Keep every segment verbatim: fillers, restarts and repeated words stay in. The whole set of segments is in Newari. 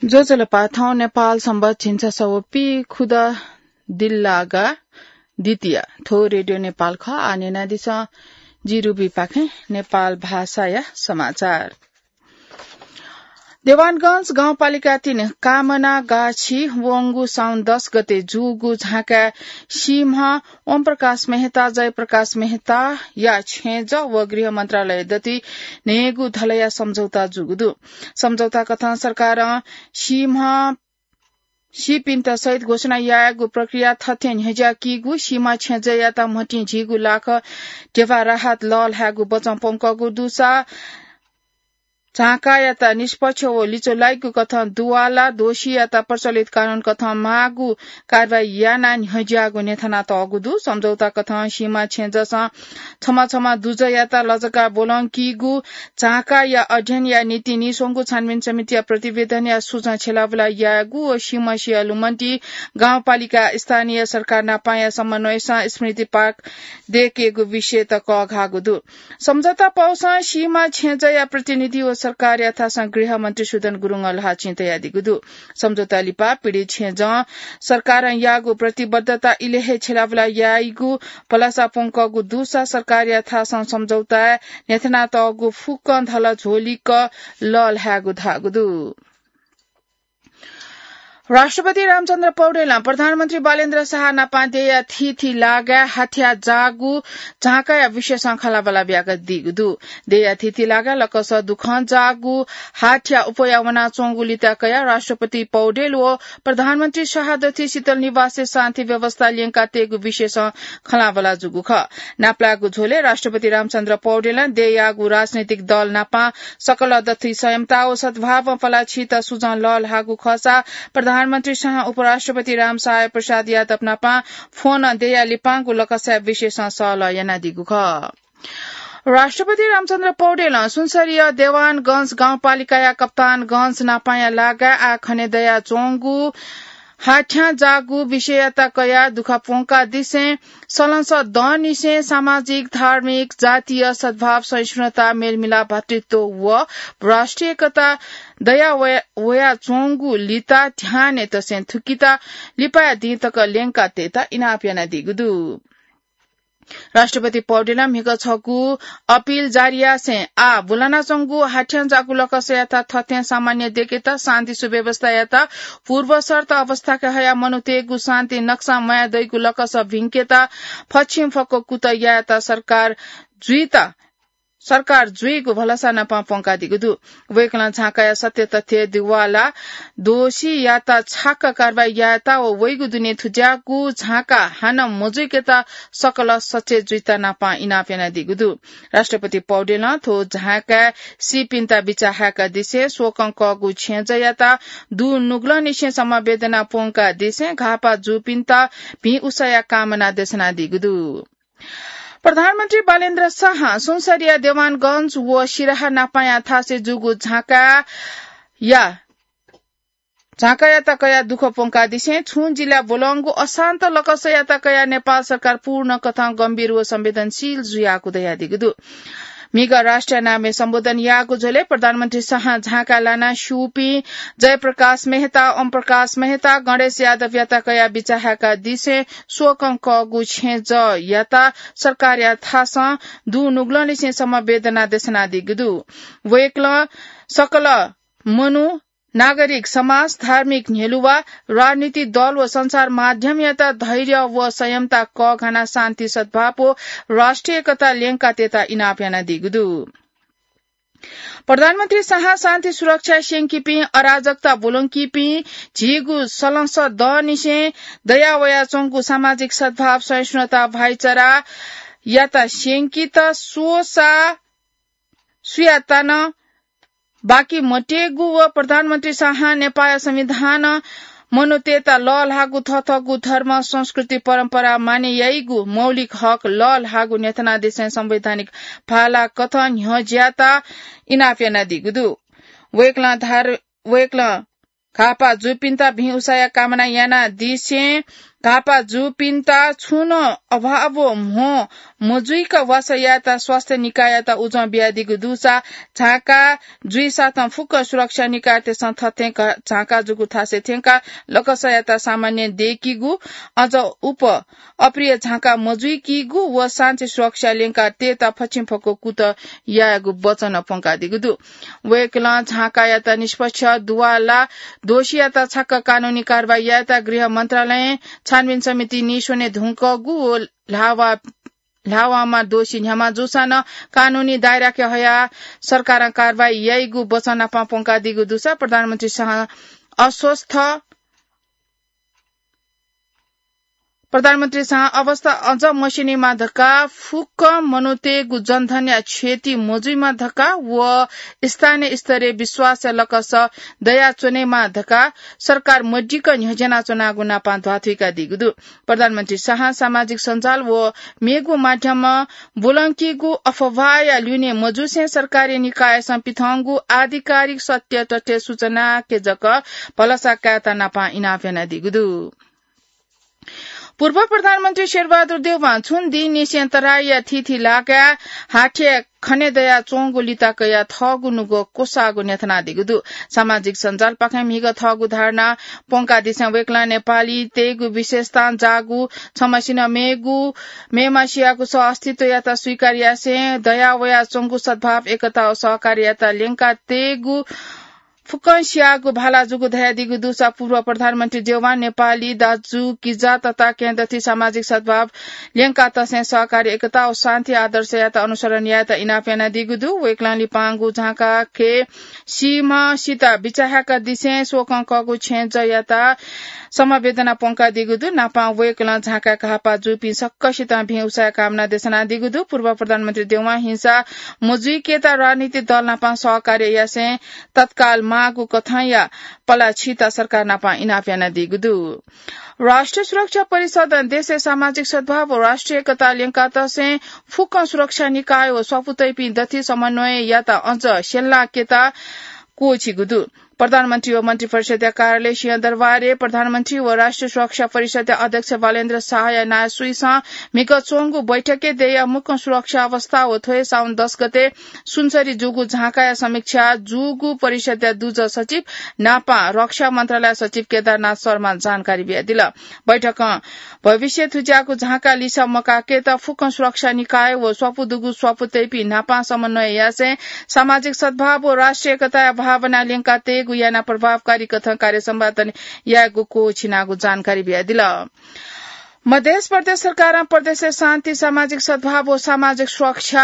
ज्वजलपा, थौं नेपाल संवत् झिंछसः व पीखुदँ दिल्लागा द्वितीया। थ्व रेडियो नेपाल खः। आः न्यनादिसँ जि रुबीपाखें नेपाल भाषाया समाचार। देवानगंज गाउँपालिका तीन कामना गाछी वंगु साउन दस गते जूगु झाँकाय् सीम्ह ओमप्रकाश मेहता, जयप्रकाश मेहताया छेँजः व गृह मन्त्रालय दथुइ न्हय्गू धलया सम्झौता जूगु दु। सम्झौता कथं सरकारं सीम्ह सीपिन्त शहीद घोषणा यायेगु प्रक्रिया थथे न्ह्यज्याकीगु, सीमा छेँजःयात म्हतिं झिगू लाख ध्यबा राहत लःल्हायेगु बचं प्वंकःगु दुसा झाँकायात निष्पक्ष व लिचो लाइगु कथं दुवाला दोषीयात प्रचलित कानून कथं माःगु कारवाही यानाः न्ह्यज्याःगु न्ह्यथनातःगु दु। सम्झौता कथं सीमा छेँजःसं छम्ह छम्ह दुजःयात लजगाः ब्वलंकीगु झाँकाया अध्ययनया निंतिं नीस्वंगू छानबिन समितिया प्रतिवेदनया सुझाव छ्यलाबुला यायेगु व सीम्ह सिया लुमन्ति गाउँपालिका स्थानीय सरकार नापंया समन्वयसं स्मृति पार्क दयेकेगु विषयत कःघाःगु दु। सम्झौता पौसं सीमा छेँजःया प्रतिनिधि व सरकारयाथासं गृह मन्त्री सुदन गुरुङं ल्हाःचिं तयादीगु दु। सम्झौता लिपा पीडित छेँजं सरकारं याःगु प्रतिबद्धता इलय् हे छ्यलाबुला याइगु भलसा प्वंकःगु दुसा सरकारयाथासं सम्झौताय् न्ह्यथनातःगु फुक्कं धल झ्वलिक लःल्हायेगु धाःगु दु। राष्ट्रपति रामचन्द्र पौडेलं प्रधानमन्त्री बालेन्द्र शाह नापं देय्‌या थीथी लागाय् हाथ्या जाःगु झाँकाया विषयसं खँल्हाबल्हा बियादीगु दु। देय्‌या थीथी लागाय् लकस दुखं जाःगु हाथ्या अप्वया वनाच्वंगु लिता कयाः राष्ट्रपति पौडेल व प्रधानमन्त्री शाह दथुइ शीतल निवासय् शान्ति व्यवस्था ल्यंकातयेगु विषयसं खँल्हाबल्हा जूगु खः। नापलाःगु झ्वलय् राष्ट्रपति रामचन्द्र पौडेलं देय्‌याःगु राजनैतिक दल नापं सकल दथुइ संयमता व सद्भावं पलाः छीत सुझाव लःल्हाःगु खःसा प्रधानमन्त्री शाहं उपराष्ट्रपति रामसहाय प्रसाद यादव नापं फोनं देय्‌या लिपांगु लकसया विषयसं सहलह यानादीगु खः। राष्ट्रपति रामचन्द्र पौडेलं सुनसरीया देवानगंज गाउँपालिकाया कप्तानगंज नापंया लागाय् आः खने दयाच्वंगु हाथ्यां जाःगु विषययात कयाः दुःख प्वंकादिसें सलंसः दँनिसें सामाजिक, धार्मिक, जातीय सद्भाव, सहिष्णुता, मेलमिलाप, भातृत्व व राष्ट्रिय एकता दया वया, वयाच्वंगु लिता ध्यानय् तसें थुकिता लिपाया दिं तक ल्यंकातयेत इनाप यानादीगु दु। राष्ट्रपति पौडेलं म्हिगः छगू अपिल जारी यासें आः बुलानाच्वंगु हाथ्यां जाःगु लकसयात थथें सामान्य दयेकेत, शान्ति सुव्यवस्थायात पूर्वशर्त अवस्थाके हयाः मनूतय्‌गु शान्ति नक्सां म्वाये दइगु लकस भिंकेत फच्छिं फक्व कुतः यायेत सरकार जुइत सरकार जुइगु भलसा नापं प्वंकादीगु दु। वय्‌कलं झाँकाया सत्य तथ्य दुवाला दोषीयात छाक्क कारवाही यायेत व वइगु दुने थुज्याःगु झाँका हानं मजुइकेत सकल सचेत जुइत नापं इनाप यानादीगु दु। राष्ट्रपति पौडेलं थ्व झाँकाय् सीपिन्त बिचाः हाय्‌कादिसें, स्वकं कःगु छेँजःयात दुनुगलंनिसें समवेदना प्वंकादिसें, घाःपाः जूपिन्त भिं उसाया कामना देछानादीगु दु। प्रधानमन्त्री बालेन्द्र शाहं सुनसरीया देवानगंज व सिराहा नापंया थासय् जूगु झाँकाया, झाँकायात कयाः दुःख प्वंकादिसें छुं जिल्लाय् ब्वलंगु अशान्त लकसयात कयाः नेपाल सरकार पूर्ण कथं गम्भीर व संवेदनशील जुयागु धयादीगु दु। म्हिगः राष्ट्रिय नामय् सम्बोधन याःगु झ्वलय् प्रधानमन्त्री शाहं झाँका लानाः स्यूपिं जयप्रकाश मेहता, ओमप्रकाश मेहता, गणेश यादवयात कयाः बिचाः हाय्‌कादिसें स्वकं कःगु छेँजःयात सरकारया थासं दुनुगलंनिसें समवेदना देछानादीगु दु। वय्‌कलं सकल मनू, नागरिक समाज, धार्मिक न्ह्यलुवा, राजनीतिक दल व सञ्चार माध्यमयात धैर्य व संयमता कःघानाः शान्ति, सद्भाव व राष्ट्रिय एकता ल्यंकातयेत इनाप यानादीगु दु। प्रधानमन्त्री शाहं शान्ति सुरक्षा स्यंकीपिं, अराजकता ब्वलंकीपिं, झीगु सलंसः दँनिसें दया वयाच्वंगु सामाजिक सद्भाव, सहिष्णुता, भाइचारायात स्यंकीत स्वःसा सुयात नं बाकी मत्येगु व प्रधानमन्त्री शाहं नेपाःया संविधानं मनूतय्‌त लःल्हाःगु थःथःगु धर्म, संस्कृति, परम्परा माने याइगु मौलिक हक लःल्हाःगु न्ह्यथनादिसें संवैधानिक भाला कथं न्ह्यज्यात इनाप यानादीगु दु। वय्‌कलं धार-, वय्‌कलं घाःपाः जूपिन्त भिं उसाया कामना यानादिसें घाःपाः जूपिन्त छुं नं अभाव व म्हो मजुइक वासः यायेत स्वास्थ्य निकाययात उजं बियादीगु दुसा झांका जुइसाथं फुक्क सुरक्षा निकायतय्सं थथें घ-, झांका जूगु थासय् थ्यंकाः लकसयात सामान्य दयेकीगु, अझ उप अप्रिय झांका मजुइकीगु व शान्ति सुरक्षा ल्यंका तयेत फछिंफक्व कुतः यायेगु वचन प्वंकादीगु दु। वय्कलं झांकायात निष्पक्ष दुवाला दोषीयात छाक्क कानूनी कारवाही यायेत गृह मन्त्रालयं छानबिन समिति नीस्वने धुंकूगु व ल्हावा, ल्हावांमा दोषी न्ह्यामा जूसां नं कानूनी दायराके हयाः सरकारं कारवाही याइगु वचन नापं प्वंकादीगु दुसा प्रधानमन्त्री शाह अस्वस्थ प्रधानमन्त्री शाह अवस्था अझ मस्यनेमा धकाः फुक्क मनूतय्गु जनधनया क्षति मजुइमा धकाः व स्थानीय स्तरय् विश्वासया लकस दयाच्वनेमा धकाः सरकार मदिक्क न्ह्यज्यानाच्वनागु नापं ध्वाथुइकादीगु दु। प्रधानमन्त्री शाहं सामाजिक सञ्जाल व मेगु माध्यमं ब्वलंकीगु अफवाहया ल्यूने मजुसें सरकारी निकायसं पिथंगु आधिकारिक सत्य तथ्य सूचनाके जक भलसा कायेत नापं इनाप यानादीगु दु। पूर्व प्रधानमन्त्री शेरबहादुर देउवां छुं दिंनिसें तराईया थीथी लागाय् हाथ्या खने दयाच्वंगु लिता कयाः थःगु नुगः क्वसाःगु न्ह्यथनादीगु दु। सामाजिक सञ्जालपाखें म्हिगः थःगु धारणा प्वंकादिसें वय्कलं नेपालीतय्गु विशेषतां जाःगु छम्हसिनं मेगु, मेम्हसियागु सह अस्तित्वयात स्वीकार यासें दया वयाच्वंगु सद्भाव, एकता व सहकार्ययात ल्यंका तयेगु फुक्कं सियाःगु भाला जूगु धयादीगु दुसा पूर्व प्रधानमन्त्री देउवां नेपाली दाजुकिजा तताकेहेँ दथुइ सामाजिक सद्भाव ल्यंका तसें सहकारी एकता व शान्ति आदर्शयात अनुसरण यायेत इनाप यानादीगु दु। वय्कलं लिपांगु झांकाखे सीम्हसित बिचाःह्याकादिसें स्वकं कःगु छेँजःयात समवेदना प्वंकादीगु दु। नापं वय्कलं झांकाय् घाःपाः जूपिं सकसितं भिं उसाँय् कामना देछानादीगु दु। पूर्व प्रधानमन्त्री देउवां हिंसा मजुइकेत राजनीतिक दल नापं सहकार्य यासें तत्काल माःगु कथंया पला छीत सरकार नापं इनाप यानादीगु दु। राष्ट्रिय सुरक्षा परिषदं देशय् सामाजिक सद्भाव व राष्ट्रिय एकता ल्यंका तसें फुक्कं सुरक्षा निकाय व स्वापू तइपिं दथुइ समन्वययात अझ स्यंलाकेत क्वःछिगु दु। प्रधानमन्त्री व मन्त्रिपरिषद्या कार्यालय सिंहदरबारय् प्रधानमन्त्री व राष्ट्रिय सुरक्षा परिषद्या अध्यक्ष बालेन्द्र शाहया नायःसुइसं म्हिगः च्वंगु बैठकय् देय्या मुक्कं सुरक्षा अवस्था व थ्व हे साउन दस गते सुनसरी जूगु झांकाया समीक्षा जूगु परिषद्या दुजः सचिव नापं रक्षा मन्त्रालय सचिव केदारनाथ शर्मां जानकारी बियादिल। बैठकं भविष्यय् थुज्याःगु झांका लिसा मकाकेत फुक्कं सुरक्षा निकाय व स्वापू दुगु स्वापू तइपिं नापं समन्वय यासें सामाजिक सद्भाव व राष्ट्रिय एकताया भावना ल्यंका तयेगु यानाः प्रभावकारी कथं कार्य सम्पादन यायेगु क्वःछिनागु जानकारी बियादिल। मधेस प्रदेश सरकारं प्रदेशय् शान्ति, सामाजिक सद्भाव व सामाजिक सुरक्षा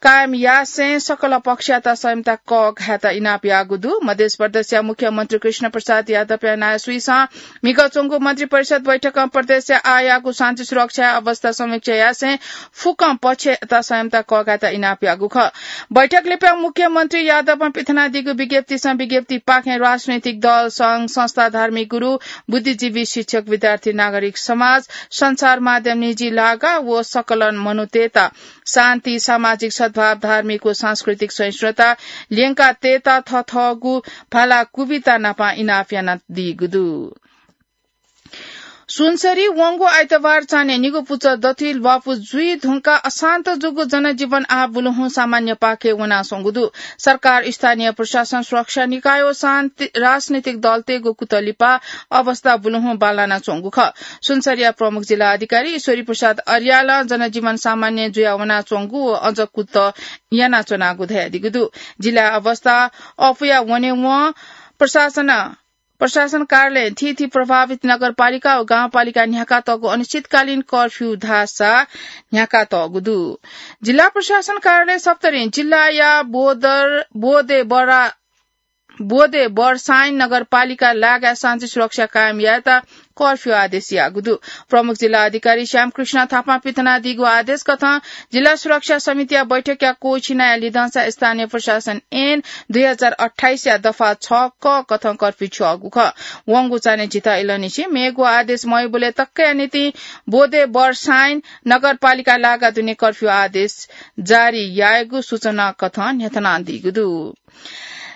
कायम यासें सकल पक्षयात संयमता कःघायेत इनाप याःगु दु। मधेस प्रदेशया मुख्यमन्त्री कृष्ण प्रसाद यादवया नायःसुइसं म्हिगः च्वंगु मन्त्रिपरिषद बैठकं प्रदेशय् आःयाःगु शान्ति सुरक्षा अवस्था समीक्षा यासें फुक्कं पक्षयात संयमता कःघायेत इनाप याःगु खः। बैठक लिपा मुख्यमन्त्री यादवं पिथनादीगु विज्ञप्तिसं विज्ञप्तिपाखें राजनैतिक दल, संघ, संस्था, धार्मिक गुरु, बुद्धिजीवी, शिक्षक, विद्यार्थी, नागरिक समाज, सञ्चार माध्यम, निजी लागा व सकल मनूतय्त शान्ति, सामाजिक सद्भाव, धार्मिक व सांस्कृतिक सहिष्णुता ल्यंका तयेत थःथःगु भाला कुबिता नापं इनाप यानादीगु दु। सुनसरी वंगु आइतबार चान्हय् निगू पुचः दथुइ ल्वापु जुइ धुंकाः अशान्त जूगु जनजीवन आः बुलुहुँ सामान्य पाखे वनाच्वंगु दु। सरकार, स्थानीय प्रशासन, सुरक्षा निकाय व शान्ति, राजनैतिक दलतय्गु कुतः लिपा अवस्था बुलुहुँ बांलानाच्वंगु खः। सुनसरीया प्रमुख जिल्ला अधिकारी ईश्वरी प्रसाद अर्यालं जनजीवन सामान्य जुया वनाच्वंगु व अझ कुतः यानाच्वनागु धयादीगु दु। जिल्लाया अवस्था अःपुया वनेवं प्रशासन प्रशासन कार्यालयं थीथी प्रभावित नगरपालिका व गाउँपालिकाय् न्ह्याकातःगु अनिश्चितकालीन कर्फ्यू धाःसा न्ह्याकातःगु दु। जिल्ला प्रशासन कार्यालय सप्तरीं जिल्लाया बोदर, बोदे बरा, बोदे बरसाइन नगरपालिका लागाय् शान्ति सुरक्षा कायम यायेत कर्फ्यू आदेश याःगु दु। प्रमुख जिल्ला अधिकारी श्यामकृष्ण थापां पिथनादीगु आदेश कथं जिल्ला सुरक्षा समितिया बैठकया क्वःछिनाया लिधंसा स्थानीय प्रशासन ऐन दुई हजार अट्ठाइसया दफा छ क कथं कर्फ्यू छ्यःगु खः। वंगु चान्हय् झिता इलंनिसें मेगु आदेश मवइबलय् तकया निंतिं बोदे बरसाइन नगरपालिका लागा दुने कर्फ्यू आदेश जारी यायेगु सूचना कथं न्ह्यथनादीगु दु।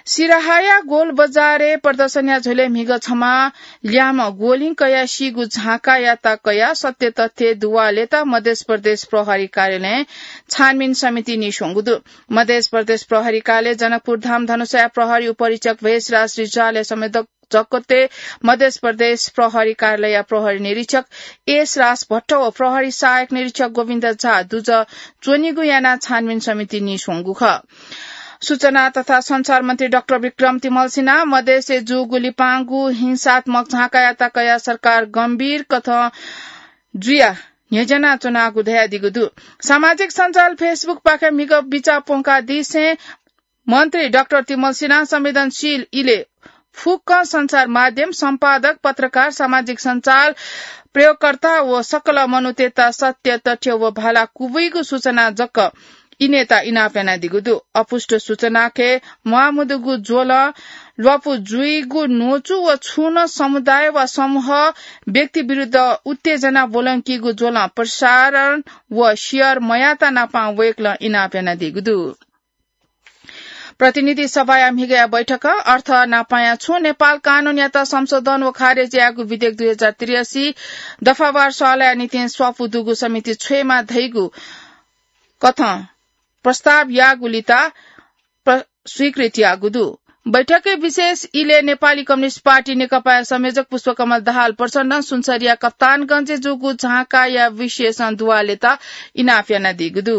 सिराहाया गोलबजारय् प्रदर्शनया झ्वलय् म्हिगः छम्ह ल्याहां गोलिं कयाः सीगु झांकायात कयाः सत्य तथ्य दुवालेत मध्य प्रदेश प्रहरी कार्यालयं छानबिन समिति नीस्वंगु दु। मध्य प्रदेश प्रहरी कार्यालय जनकपुर धाम धनुषाया प्रहरी उपरीक्षक भेषराज रिजालया संवेदक जगते मध्य प्रदेश प्रहरी कार्यालयया प्रहरी निरीक्षक एस राज भट्ट व प्रहरी सहायक निरीक्षक गोविन्द झा दुजः च्वनीगु यानाः छानबिन समिति नीस्वंगु खः। सूचना तथा सञ्चार मन्त्री डाक्टर विक्रम तिमल सिन्हां मधेसय् जूगु लिपांगु हिंसात्मक झांकायात कयाः सरकार गम्भीर कथं जुयाः न्ह्यज्यानाच्वनागु धयादीगु दु। सामाजिक सञ्जाल Facebook पाखें म्हिगः बिचाः प्वंकादिसें मन्त्री डाक्टर तिमल सिन्हां संवेदनशील इलय् फुक्क सञ्चार माध्यम, सम्पादक, पत्रकार, सामाजिक सञ्चार प्रयोगकर्ता व सकल मनूतय्त सत्य, तथ्य व भाला क्वबुइगु सूचना जक इनेत इनाप यानादीगु दु। अपुष्ट सूचनाके म्वाःमदुगु ज्वलं ल्वापु जुइगु न्वचु व छुं नं समुदाय वा समूह व्यक्ति विरुद्ध उत्तेजना ब्वलंकीगु ज्वलं प्रसारण व share मयाःत नापां वय्कलं इनाप यानादीगु दु। प्रतिनिधि सभाया म्हिगःया बैठकं अर्थ नापांया छुं नेपाल कानूनयात संशोधन व खारेज यायेगु विधेयक दुई हजार त्रियासी दफावार स्वालया निंतिं स्वापू दुगु समिति छ्वयेमा धइगु कथं प्रस्ताव याःगुलित प्र-, स्वीकृत याःगु दु। बैठकय् विशेष इलय् नेपाली कम्युनिस्ट पार्टी नेकपाया संयोजक पुष्पकमल दाहाल प्रचण्डं सुनसरीया कप्तानगंजय् जूगु झांकाया विषयसं दुवालेत इनाप यानादीगु दु।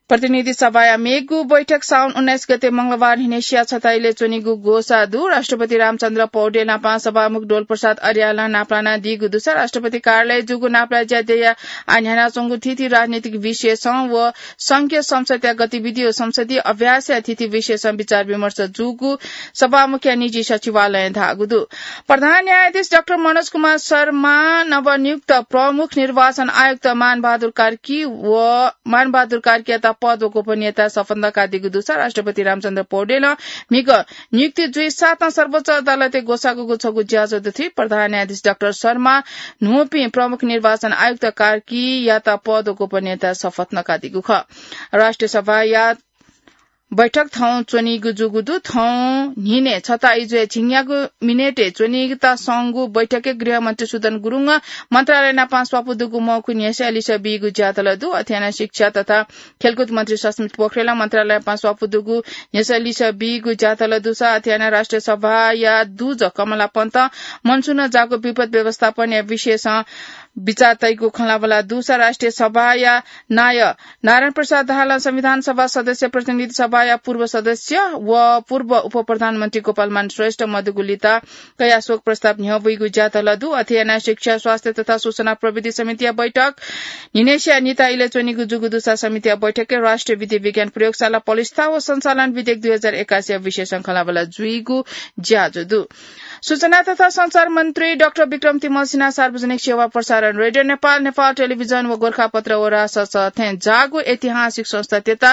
प्रतिनिधि सभाया मेगु बैठक साउन उन्नाइस गते मंगलबार न्हिनेसिया छता इलय् च्वनीगु ग्वसाः दु। राष्ट्रपति रामचन्द्र पौडेल नापं सभामुख डोलप्रसाद अर्यालं नापलानादीगु दुसा राष्ट्रपति कार्यालयय् जूगु नापलाये ज्या देय्‌या आः न्ह्यानाच्वंगु थीथी राजनीतिक विषयसं व संघीय संसदया गतिविधि व संसदीय अभ्यासया थीथी विषयसं विचार विमर्श जूगु सभामुखया निजी सचिवालयं धाःगु दु। प्रधान न्यायाधीश डाक्टर मनोज कुमार शर्मा नवनियुक्त प्रमुख निर्वाचन आयुक्त मानबहादुर कार्की व मानबहादुर कार्कीयात पद व गोपनीयता शपथ नकादीगु दुसा राष्ट्रपति रामचन्द्र पौडेलं म्हिगः नियुक्ति जुइसाथं सर्वोच्च अदालतय् ग्वसाःगु छगू ज्याझ्वः दुथुइ प्रधान न्यायाधीश डाक्टर शर्मा न्हूपिं प्रमुख निर्वाचन आयुक्त कार्कीयात पद व गोपनीयता शपथ नकादीगु खः। राष्ट्रिय सभाया बैठक थौं च्वनीगु जूगु दु। थौं न्हिनय् छता इजुया झिंन्यागू मिनेटय् च्वनीगु तःसंगु बैठकय् गृहमन्त्री सुदन गुरुङं मन्त्रालय नापं स्वापू दुगु मौखु न्ह्यस्याः लिसः बीगु ज्यातल दु। अथे यानाः शिक्षा तथा खेलकुद मन्त्री सस्मित पोखरेलं मन्त्रालय नापं स्वापू दुगु न्ह्यस्याः लिसः बीगु ज्यातल दुसा अथे यानाः राष्ट्रिय सभाया दुजः कमला पन्तं मनसुनं जाःगु विपद व्यवस्थापनया विषयसं बिचाः तइगु खँल्हाबल्हा दुसा राष्ट्रिय सभाया नायः नारायण प्रसाद दाहालं संविधान सभा सदस्य, प्रतिनिधि सभाया पूर्व सदस्य व पूर्व उपप्रधानमन्त्री गोपालमान श्रेष्ठ मदुगु लित कयाः शोक प्रस्ताव न्ह्यब्वइगु ज्यातल दु। अथे यानाः शिक्षा, स्वास्थ्य तथा सूचना प्रविधि समितिया बैठक न्हिनेसिया निता इलय् च्वनीगु जूगु दुसा समितिया बैठकय् राष्ट्रिय विधि विज्ञान प्रयोगशाला पलिस्था व सञ्चालन विधेयक दुई हजार एकासीया विषयसं खँल्हाबल्हा जुइगु ज्याझ्वः दु। सूचना तथा सञ्चार मन्त्री डाक्टर विक्रम तिमल सिन्हां सार्वजनिक सेवा प्रसारण रेडियो नेपाल, नेपाल टेलिभिजन व गोरखापत्र व राजसंस्था थें जाःगु ऐतिहासिक संस्थातय्त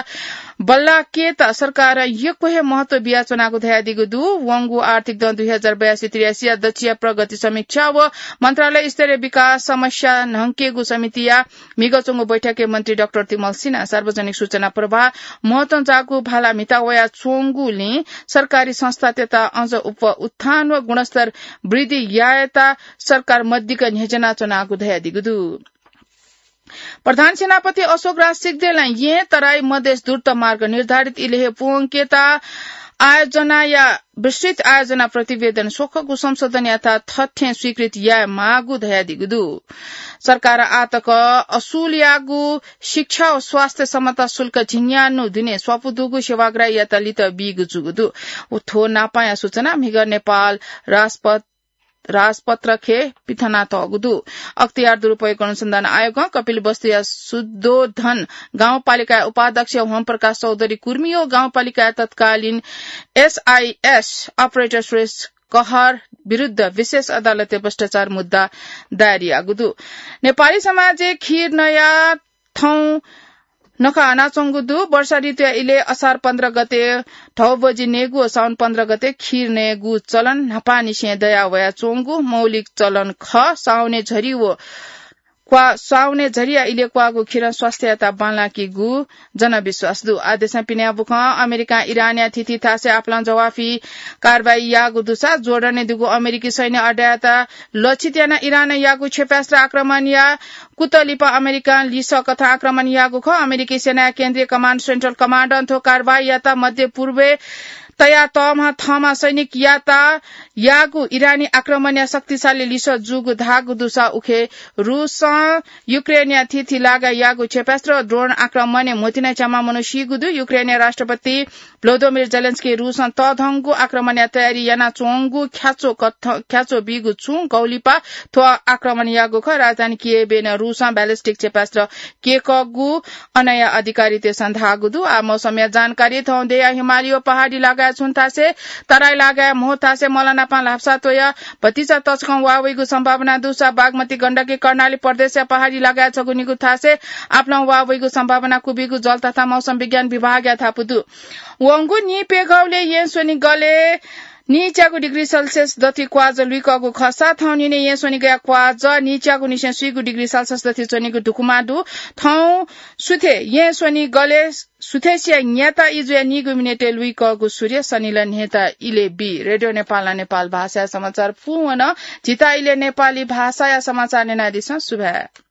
बल्लाकेत सरकारं यक्व हे महत्व बियाच्वनागु धयादीगु दु। वंगु आर्थिक दँ दुई हजार बयासी त्रियासीया दच्छिया प्रगति समीक्षा व मन्त्रालय स्तरीय विकास समस्या न्हंकेगु समितिया म्हिगः च्वंगु बैठकय् मन्त्री डाक्टर तिमल सिन्हां सार्वजनिक सूचना प्रवाह महत्वं जाःगु भाला म्हिता वयाच्वंगुलिं सरकारी संस्थातय्त अझ उप उत्थान व गुणस्तर वृद्धि यायेत सरकार मदिक्क न्ह्यज्यानाच्वनागु धयादीगु दु। प्रधान सेनापति अशोक राज सिग्देलं येँ तराई मधेस द्रुत मार्ग निर्धारित इलय् हे प्वंकेत आयोजनाया विस्तृत आयोजना प्रतिवेदन स्वखगू संशोधन याथाय् थथें स्वीकृति यायेमाःगु धयादीगु दु। सरकारं आःतक असुलयागु शिक्षा व स्वास्थ्य सम्बन्धी शुल्क झिंन्यान्हु दुने स्वापू दुगु सेवाग्राहीयात लित बीगु जूगु दु। उ थ्व नापांया सूचना म्हिगः नेपाल राजपथ, राजपत्रखे पिथनातःगु दु। अख्तियार दुरुपयोग अनुसन्धान आयोगं कपिलवस्तुया शुद्धोधन गाउँपालिकाया उपाध्यक्ष होमप्रकाश चौधरी कुर्मी व गाउँपालिकाया तत्कालीन एसआइएस अपरेटर सुरेश कहर विरुद्ध विशेष अदालतय् भ्रष्टाचार मुद्दा दायर याःगु दु। नेपाली समाजय् खीर नया थौं नखःहानाच्वंगु दु। वर्षा ऋतुया इलय् असार पन्ध्र गते धौबजि नयेगु व साउन पन्ध्र गते खीर नयेगु चलन न्हापांनिसें दया वयाच्वंगु मौलिक चलन खः। साउने झरी व क्वा स्वाउने झरिया इले क्वाःगु खिरं स्वास्थ्ययात बांलाकीगु जनविश्वास दु। आदेशं पिन्या बुखं अमेरिकां इरानया थिथि थासय् आपालं जवाफी कारवाही याःगु दुसा जोर्डनय् दुगु अमेरिकी सैन्य अड्डायात लक्षित यानाः इरानं याःगु क्षेपणास्त्र आक्रमणया कुतलिपा अमेरिकां लिसः कथं आक्रमण याःगु खः। अमेरिकी सेनाया केन्द्रीय कमाण्ड, सेन्ट्रल कमाण्डं थ्व कारवाहीयात मध्य पूर्वय् तया तःम्ह थःम्ह सैनिकयात याःगु इरानी आक्रमणया शक्तिशाली लिसः जूगु धाःगु दुसा उखे रूसं युक्रेनया थिथि लागाय् याःगु क्षेपणास्त्र ड्रोन आक्रमणय् म्होतिना च्यामा मनू सीगु दु। युक्रेनया राष्ट्रपति भ्लोदोमिर जेलेन्स्की रूसं तःधंगु आक्रमणया तयारी यानाच्वंगु ख्याच्वः कथ-, ख्याच्वः बीगु छुं गौलिपा थ्व आक्रमण याःगु खः। राजधानी कियेवय् नं रूसं ballistic क्षेपणास्त्र केकःगु अनया अधिकारीतय्सं धाःगु दु। आ मौसमया जानकारी। थौं देया हिमालय पहाडी लागाय् छुं थासय्, तराई लागाय् म्हो थासय् मलानापां ल्हापसा त्वया भतिचा तसकं वा वइगु सम्भावना दुसा बागमती गण्डकी कर्णाली प्रदेशया पहाडी लागाय् छगू निगू थासय् आपालं वा वइगु सम्भावना कुबिगु जल तथा मौसम विज्ञान विभागया धापू दु। वंगु नीप्यघौले येँ स्वनिगलय् नीच्यागु डिग्री सेल्सियस दथि क्वाज लुइकःगु खःसा थौं निने येँ स्वनिगया क्वाज नीच्यागु निसें स्वीगु डिग्री सेल्सियस दथि च्वनीगु धुकुमा दु। थौं सुथे येँ स्वनिगलय् सुथेसिया न्याता इजुया नीगु मिनेटय् लुइकःगु सूर्य सनिल न्हेता इले बी। रेडियो नेपाल, नेपाल भाषाया समाचार पूवन। झीता इले नेपाली भाषाया समाचार न्यनादिसँ। सुभाय्।